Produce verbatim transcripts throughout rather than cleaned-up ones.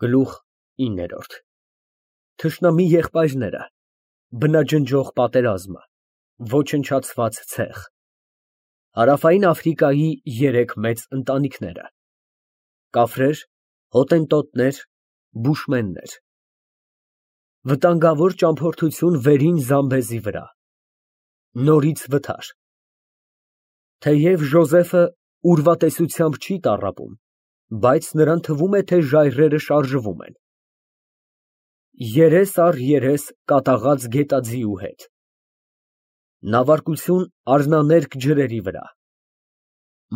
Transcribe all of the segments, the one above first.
Գլուխ ինը ԹՇՆԱՄԻ ԵՂՊԱՅՐՆԵՐԸ, բնաջնջող պատերազմը, ոչնչացված ցեխ, Հարավային Աֆրիկայի երեք մեծ ընտանիքները ֊ կաֆրեր, հոտենտոտներ, բուշմեններ, վտանգավոր ճամփորդություն վերին Զամբեզի վրա, նորից վթար Թեև Ժոզեֆը ուրվատեսությամբ չի տառապում, բայց նրան թվում է, թե ժայռերը շարժվում են Երես առ երես կատաղած գետաձիու հետ Նավարկություն առնաներկ ջրերի վրա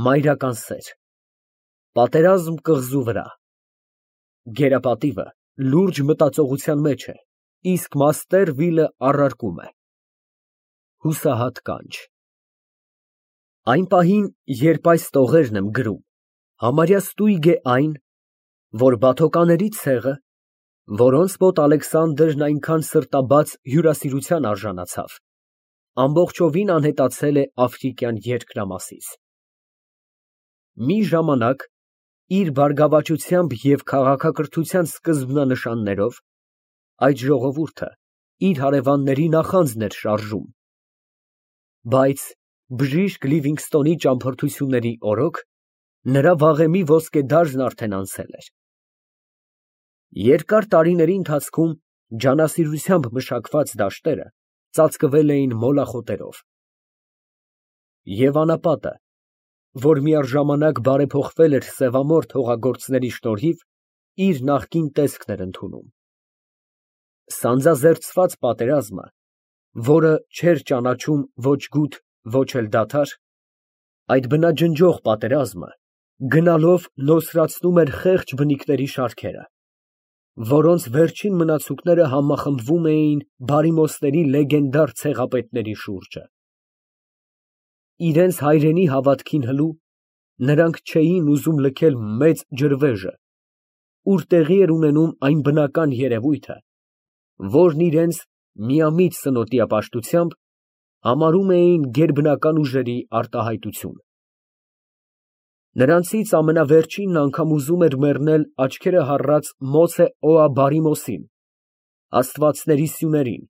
Մայրական սեր Պատերազմ կղզու վրա Գերապատիվը լուրջ մտածողության մեջ է, իսկ մաստեր Վիլը առարկում է Հուսահատ կանչ Այն պահին, երբ այս տողերն եմ գրում, համարյա ստույգ է այն, որ բաթոկաների ցեղը, որոնց մոտ Ալեքսանդրն այնքան սրտաբաց հյուրասիրության արժանացավ, ամբողջովին անհետացել է աֆրիկյան երկրամասից։ Մի ժամանակ, իր բարգավաճությամբ և քաղաքակրթության սկզբնանշաններով, այդ ժողովուրդը իր հարևանների նախանձն էր շարժում, բայց բժիշկ Լիվինգստոնի ճամփորդությունների օրոք նրա վաղեմի ոսկեդարժն արդեն անցել էր։ Երկար տարիների ընթացքում ջանասիրությամբ մշակված դաշտերը ծածկվել էին մոլախոտերով։ Եվ անապատը, որ միառժամանակ բարեփոխվել էր սևամորթ հողագործների շնորհիվ, իր նախկին տեսքն էր ընդունում։ Սանձազերծված պատերազմը, որը չէր ճանաչում ոչ գութ, ոչ էլ դադար, այդ բնաջնջող պատերազմը գնալով նոսրացնում էր խեղճ բնիկների շարքերը, որոնց վերջին մնացուկները համախմբվում էին բարիմոսների լեգենդար ցեղապետների շուրջը։ Իրենց հայրենի հավատքին հլու, նրանք չէին ուզում լքել մեծ ջրվեժը, ուր տեղի էր ունենում այն բնական երևույթը, որն իրենց միամիտ սնոտիապաշտությամբ համարում էին գերբնական ուժերի արտահայտություն։ Նրանցից ամենավերջինն անգամ ուզում էր մեռնել աչքերը հառած Մոցե Օա Բարիմոսին, աստվածների սյուներին։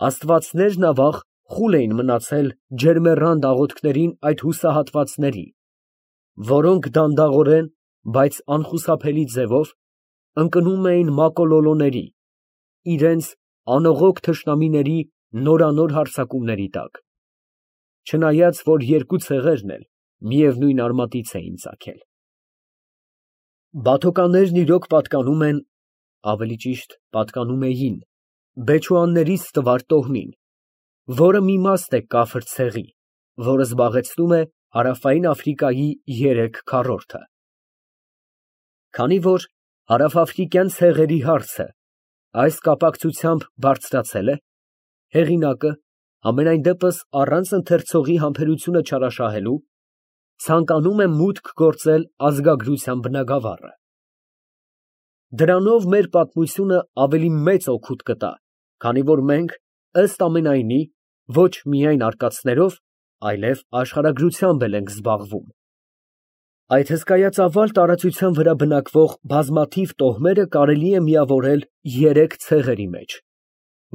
Աստվածներն ավաղ խուլ էին մնացել ջերմեռանդ աղոթքներին այդ հուսահատվածների, որոնք դանդաղորեն, բայց անխուսափելի ձևով ընկնում էին մակոլոլոների, իրենց անողոք թշնամիների նորանոր հարձակումների տակ, չնայած որ երկու ցեղերն էլ միևնույն արմատից էին ծագել։ Բաթոկաններն իրոք պատկանում են, ավելի ճիշտ պատկանում էին բեչուաններից տվար տոհմին, որը մի մաս է կաֆր ցեղի, որը զբաղեցնում է Հարավային Աֆրիկայի երեք քառորդը։ Քանի որ հարավաֆրիկյան ցեղերի հարցը այս կապակցությամբ բարձրացել է, հեղինակը, համենայն դեպս առանց ընթերցողի համբերությունը չարաշահելու, ցանկանում է մուտք գործել ազգագրության բնագավառը։ Դրանով մեր պատմությունը ավելի մեծ օգուտ կտա, քանի որ մենք, ըստ ամենայնի, ոչ միայն արկածներով, այլև աշխարհագրությամբ էլ ենք զբաղվում։ Այդ հսկայածավալ տարածության վրա բնակվող բազմաթիվ տոհմերը կարելի է միավորել երեք ցեղերի մեջ,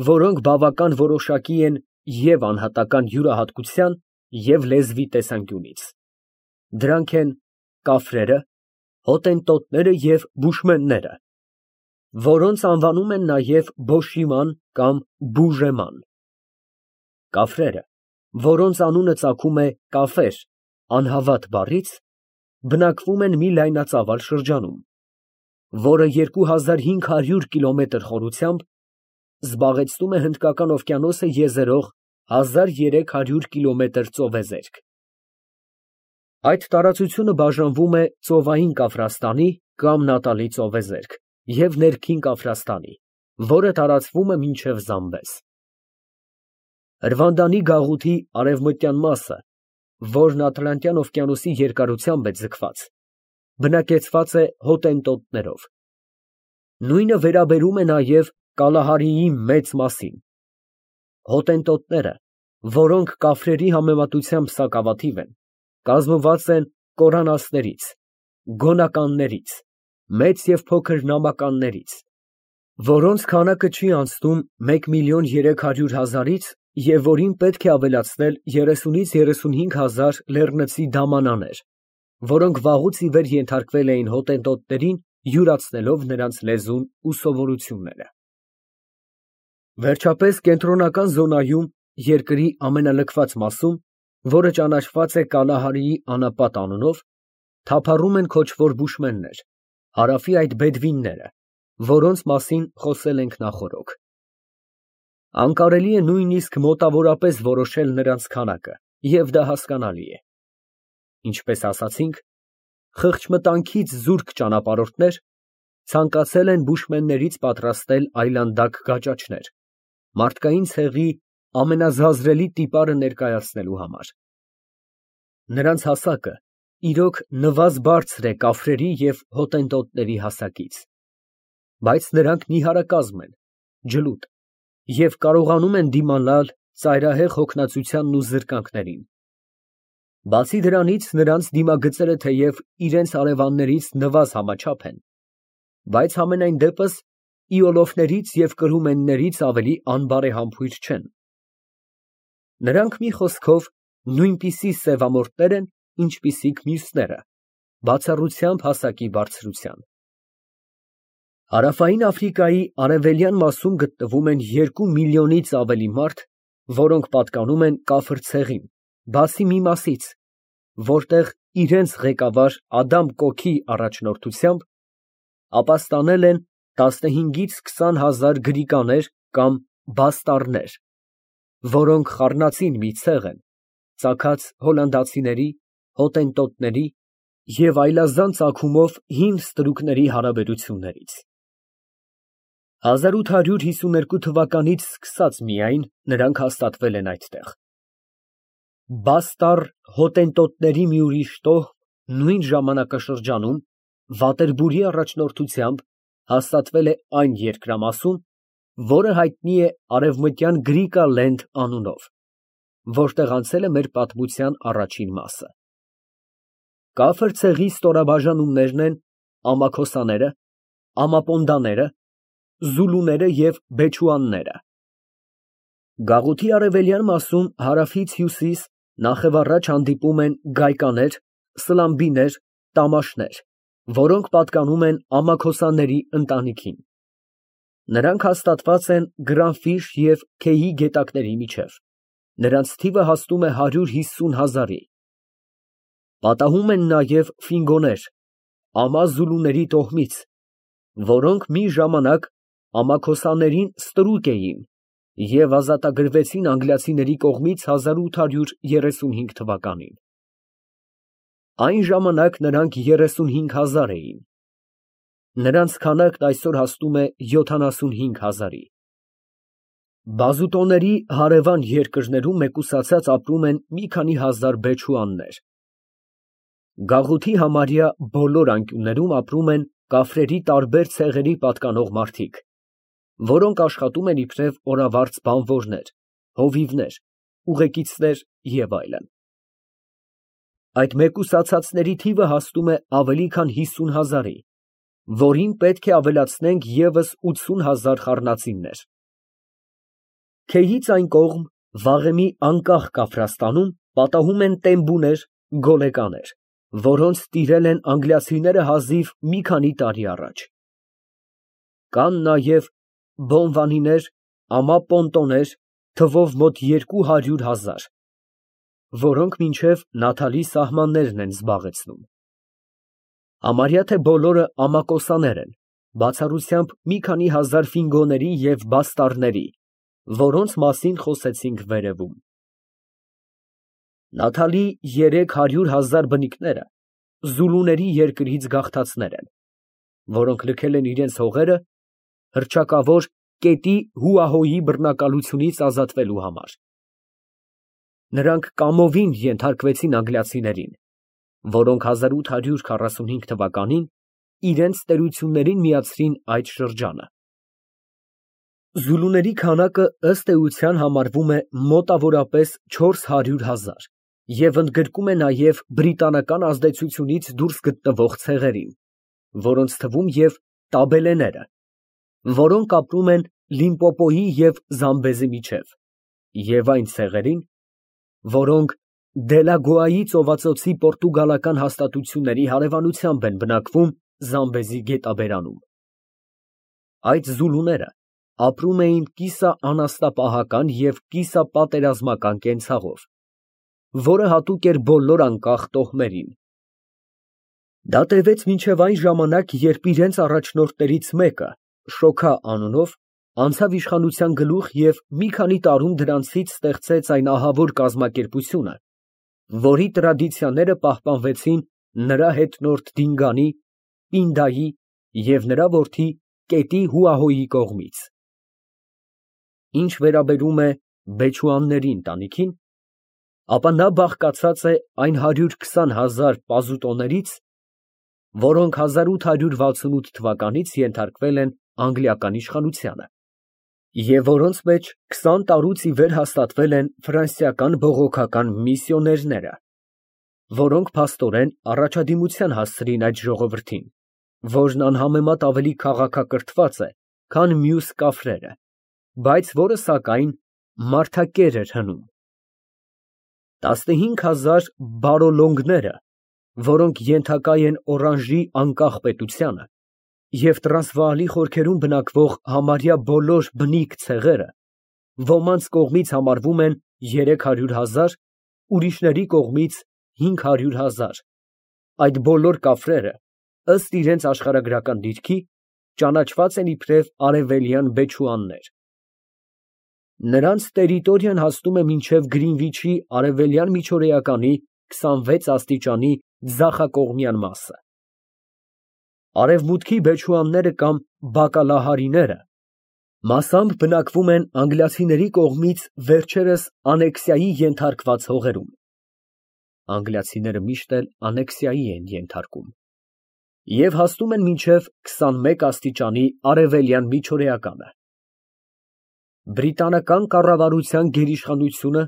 որոնք բավական որոշակի են և անհատական յուրահատկության, և լեզվի տեսանկյունից։ Դրանք են կաֆրերը, հոտենտոտները և բուշմենները, որոնց անվանում են նաև Բոշիման կամ Բուժեման։ Կաֆրերը, որոնց անունը ծագում է կաֆեր անհավատ բառից, բնակվում են մի լայնածավալ շրջանում, որը երկու հազար հինգ հարյուր կիլոմետր խորությամբ զբաղեցնում է Հնդկական օվկիանոսը եզերող հազար երեք հարյուր կիլոմետր ծովեզերք։ Այդ տարածությունը բաժանվում է Ծովային Կավրաստանի կամ Նատալի ծովեզերք և Ներքին Կավրաստանի, որը տարածվում է մինչև Զամբեզ։ Հրվանդանի գաղութի արևմտյան մասը, որն Ատլանտյան օվկիանոսի երկարությամբ է ձգված, բնակեցված է հոտենտոտներով։ Նույնը վերաբերում է նաև Կալահարիի մեծ մասին։ Հոտենտոտները, որոնք կաֆրերի համեմատությամբ սակավաթիվ են, կազմված են կորանասներից, գոնականներից, մեծ և փոքր նամականներից, որոնց քանակը չի անցնում մեկ միլիոն երեք հարյուր հազարից և որին պետք է ավելացնել երեսունից երեսունհինգ հազար լեռնցի դամանաներ, որոնք վաղուց ի վեր ենթարկվել էին հոտենտոտներին, յուրացնելով նրանց լեզուն ու սովորությունները։ Վերջապես կենտրոնական զոնայում, երկրի ամենալքված մասում, որը ճանաչված է Կալահարիի անապատ անունով, թափառում են քոչվոր բուշմեններ, հարավի այդ բեդվինները, որոնց մասին խոսել ենք նախօրոք։ Անկարելի է նույնիսկ մոտավորապես որոշել նրանց քանակը, և դա հասկանալի է։ Ինչպես ասացինք, խղճմտանքից զուրկ ճանապարհորդներ ցանկացել են բուշմեններից պատրաստել այլանդակ գաճաճներ, մարդկային ցեղի ամենազազրելի տիպարը ներկայացնելու համար։ Նրանց հասակը իրոք նվազ֊բարձր է կաֆրերի և հոտենտոտների հասակից, բայց նրանք նիհարակազմ են, ջլուտ և կարողանում են դիմանալ ծայրահեղ հոգնածությանն ու զրկանքներին։ Բացի դրանից, նրանց դիմագծերը թեև իրենց հարևաններից նվազ համաչափ են, բայց համենայն դեպս իոլոֆներից և կրումեններից ավելի անբարեհամբույր չեն։ Նրանք, մի խոսքով, նույնպիսի սևամորթներ են, ինչպիսիք մյուսները, բացառությամբ հասակի բարձրության։ Հարավային Աֆրիկայի արևելյան մասում գտնվում են երկու միլիոնից ավելի մարդ, որոնք պատկանում են կաֆր ցեղին, բացի մի մասից, որտեղ իրենց ղեկավար Ադամ Կոքի առաջնորդությամբ ապաստանել են տասնհինգից քսան հազար գրիկաներ կամ բաստառներ, որոնք խառնածին մի ցեղ են, ծագած հոլանդացիների, հոտենտոտների և այլազան ծագումով հին ստրուկների հարաբերություններից։ հազար ութ հարյուր հիսուներկու թվականից սկսած միայն նրանք հաստատվել են այդտեղ։ Բաստառ հոտենտոտների մի ուրիշ տոհմ նույն ժամանակաշրջանում Վատերբուրի առաջնորդությամբ հաստատվել է այն երկրամասում, որը հայտնի է Արևմտյան Գրիկալենդ անունով, որտեղ անցել է մեր պատմության առաջին մասը։ Կաֆր ցեղի ստորաբաժանումներն են ամաքոսաները, ամապոնդաները, զուլուները և բեչուանները։ Գաղութի արևելյան մասում հարավից հյուսիս նախևառաջ հանդիպում են գայկաներ, սլամբիներ, տամաշներ, որոնք պատկանում են ամաքոսանների ընտանիքին։ Նրանք հաստատված են Գրանֆիշ և Քեյի գետակների միջև, նրանց թիվը հասնում է հարյուր հիսուն հազարի։ Պատահում են նաև ֆինգոներ, ամա զուլուների տոհմից, որոնք մի ժամանակ ամաքոսաներին ստրուկ էին և ազատագրվեցին անգլիացիների կողմից հազար ութ հարյուր երեսունհինգ թվականին։ Այն ժամանակ նրանք երեսունհինգ հազար էին։ Նրանց քանակն այսօր հասնում է յոթանասունհինգ հազարի։ Բազուտոների հարևան երկրներում մեկուսացած ապրում են մի քանի հազար բեչուաններ։ Գաղութի համարյա բոլոր անկյուններում ապրում են կաֆրերի տարբեր ցեղերի պատկանող մարդիկ, որոնք աշխատում են իբրև օրավարձ բանվորներ, հովիվներ, ուղեկիցներ և այլն։ Այդ մեկուսացածների թիվը հասնում է ավելի քան հիսուն հազարի, որին պետք է ավելացնենք ևս ութսուն հազար խառնածիններ։ Քեյից այն կողմ, վաղեմի անկախ Կաֆրաստանում, պատահում են տեմբուներ, գոլեկաներ, որոնց տիրել են անգլիացիները հազիվ մի քանի տարի առաջ։ Կան նաև բոնվանիներ, ամապոնտոներ, թվով մոտ երկու հարյուր հազար, որոնք մինչև Նաթալի սահմաններն են զբաղեցնում։ Համարյա թե բոլորը ամակոսաներ են, բացառությամբ մի քանի հազար ֆինգոների և բաստառների, որոնց մասին խոսեցինք վերևում։ Նաթալի երեք հարյուր հազար բնիկները զուլուների երկրից գաղթածներ են, որոնք լքել են իրենց հողերը հռչակավոր Կետի Հուահոյի բռնակալությունից ազատվելու համար։ Նրանք կամովին ենթարկվեցին անգլիացիներին, որոնք հազար ութ հարյուր քառասունհինգ թվականին իրենց տերություններին միացրին այդ շրջանը։ Զուլուների քանակը ըստ էության համարվում է մոտավորապես չորս հարյուր հազար և ընդգրկում է նաև բրիտանական ազդեցությունից դուրս գտնվող ցեղերին, որոնց թվում և տաբելեները, որոնք ապրում են Լիմպոպոյի և Զամբեզի միջև, և այն ցեղերին, որոնք Դելագոայի ծովածոցի պորտուգալական հաստատությունների հարևանությամբ են բնակվում Զամբեզի գետաբերանում։ Այդ զուլուները ապրում էին կիսաանասնապահական և կիսապատերազմական կենցաղով, որը հատուկ էր բոլոր անկախ տոհմերին։ Դա տևեց մինչև այն ժամանակ, երբ իրենց առաջնորդներից մեկը, Շոքա անունով, անցավ իշխանության գլուխ և մի քանի տարում դրանցից ստեղծեց այն ահավոր կազմակերպությունը, որի տրադիցիաները պահպանվեցին նրա հետնորդ Դինգանի, Պինդայի և նրա որդի Կետի Հուահոյի կողմից։ Ինչ վերաբերում է Բեչուանների ընտանիքին, ապա նա բաղկացած է այն հարյուր քսան հազար պազուտոներից, որոնք հազար ութ հարյուր վաթսունութ թվականից ենթարկվել են անգլիական իշխանությանը, և որոնց մեջ քսան տարուց ի վեր հաստատվել են ֆրանսիական բողոքական միսիոներները, որոնք փաստորեն առաջադիմության հասցրին այդ ժողովրդին, որն անհամեմատ ավելի քաղաքակրթված է, քան մյուս կաֆրերը, բայց որը, սակայն, մարդակեր էր հնում։ տասնհինգ հազար բարոլոնգները, որոնք ենթակա են Օրանժի անկախ պետությանը, և Տրանսվաալի խորքերում բնակվող համարյա բոլոր բնիկ ցեղերը, ոմանց կողմից համարվում են երեք հարյուր հազար, ուրիշների կողմից հինգ հարյուր հազար, այդ բոլոր կաֆրերը, ըստ իրենց աշխարհագրական դիրքի, ճանաչված են իբրև արևելյան բեչուաններ։ Նրանց տերիտորիան հասնում է մինչև Գրինվիչի արևելյան միջօրեականի քսանվեց աստիճանի ձախակողմյան մասը։ Արևմուտքի բեչուանները կամ բակալահարիները մասամբ բնակվում են անգլիացիների կողմից վերջերս անեքսիայի ենթարկված հողերում (անգլիացիները միշտ էլ անեքսիայի են ենթարկում) և հասնում են մինչև քսանմեկ աստիճանի արևելյան միջօրեականը։ Բրիտանական կառավարության գերիշխանությունը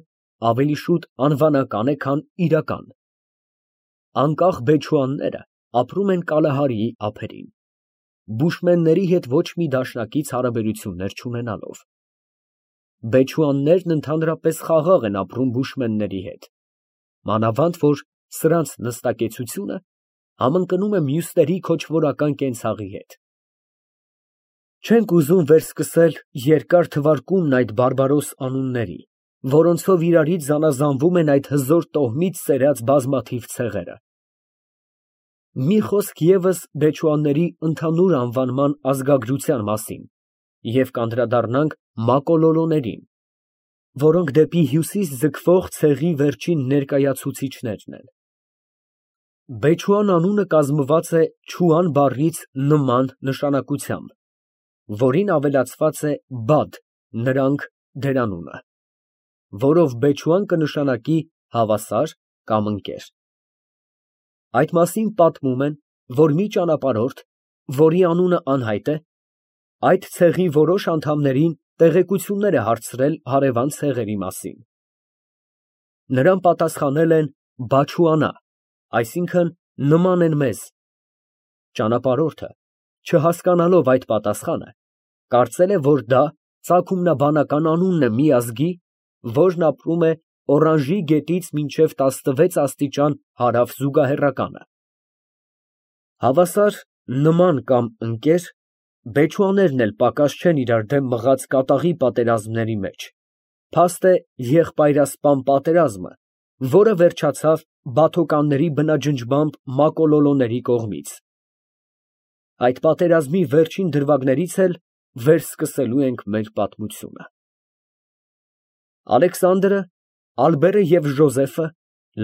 ավելի շուտ անվանական է, քան իրական։ Անկախ բեչուանները ապրում են Կալահարիի ափերին, բուշմենների հետ ոչ մի դաշնակից հարաբերություններ չունենալով։ Բեչուաններն ընդհանրապես խաղաղ են ապրում բուշմենների հետ, մանավանդ որ սրանց նստակեցությունը համընկնում է մյուսների քոչվորական կենցաղի հետ։ Չենք ուզում վերսկսել երկար թվարկումն այդ բարբարոս անունների, որոնցով իրարից զանազանվում են այդ հզոր տոհմից սերած բազմաթիվ ցեղերը։ Մի խոսք ևս բեչուանների ընդհանուր անվանման ազգագրության մասին և կանդրադառնանք մակոլոլոներին, որոնք դեպի հյուսիս ձգվող ցեղի վերջին ներկայացուցիչներն են։ Բեչուան անունը կազմված է չուան բառից նման նշանակությամբ, որին ավելացված է բադ (նրանք) դերանունը, որով բեչուան կնշանակի հավասար կամ ընկեր։ Այդ մասին պատմում են, որ մի ճանապարհորդ, որի անունը անհայտ է, այդ ցեղի որոշ անդամներին տեղեկություններ է հարցրել հարևան ցեղերի մասին։ Նրան պատասխանել են բաչուանա, այսինքն նման են մեզ։ Ճանապարհորդը, չհասկանալով այդ պատասխանը, կարծել է, որ դա ծագումնաբանական անունն է մի ազգի, որն ապրում է Օրանժի գետից մինչև տասնվեց աստիճան հարավ զուգահեռականը։ Հավասար, նման կամ ընկեր, բեչուաներն էլ պակաս չեն իրար դեմ մղած կատաղի պատերազմների մեջ, փաստ է եղբայրասպան պատերազմը, որը վերջացավ բաթոկանների բնաջնջմամբ մակոլոլոների կողմից։ Այդ պատերազմի վերջին դրվագներից էլ վերսկսելու ենք մեր պատմությունը։ Ալեքսանդրը, Ալբերը և Ժոզեֆը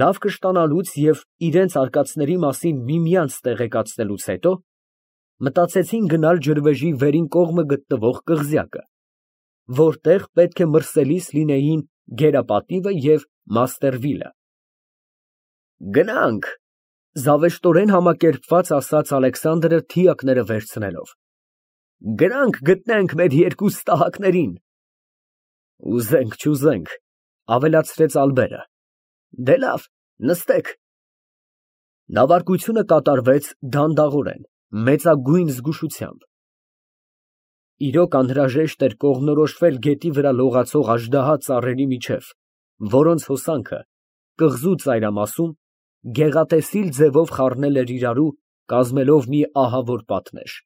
լավ կշտանալուց և իրենց արկածների մասին միմյանց տեղեկացնելուց հետո, մտածեցին գնալ ջրվեժի վերին կողմը գտնվող կղզյակը, որտեղ պետք է մրսելիս լինեին Գերապատիվը և Մաստերվիլը։ Գնա՛նք, զավեշտորեն համակերպված ասաց Ալեքսանդրը թիակները վերցնելով, գնանք գտնենք մեր երկու ստահակներին։ Ուզենք չուզենք, ավելացրեց Ալբերը, դե լավ, նստեք։ Նավարկությունը կատարվեց դանդաղորեն, Մեծագույն զգուշությամբ։ Իրոք անհրաժեշտ էր կողմնորոշվել գետի վրա լողացող աժդահա ծառերի միջև, որոնց հոսանքը կղզու ծայրամասում գեղատեսիլ ձևով խառնել էր իրարու, կազմելով մի ահավոր պատնեշ։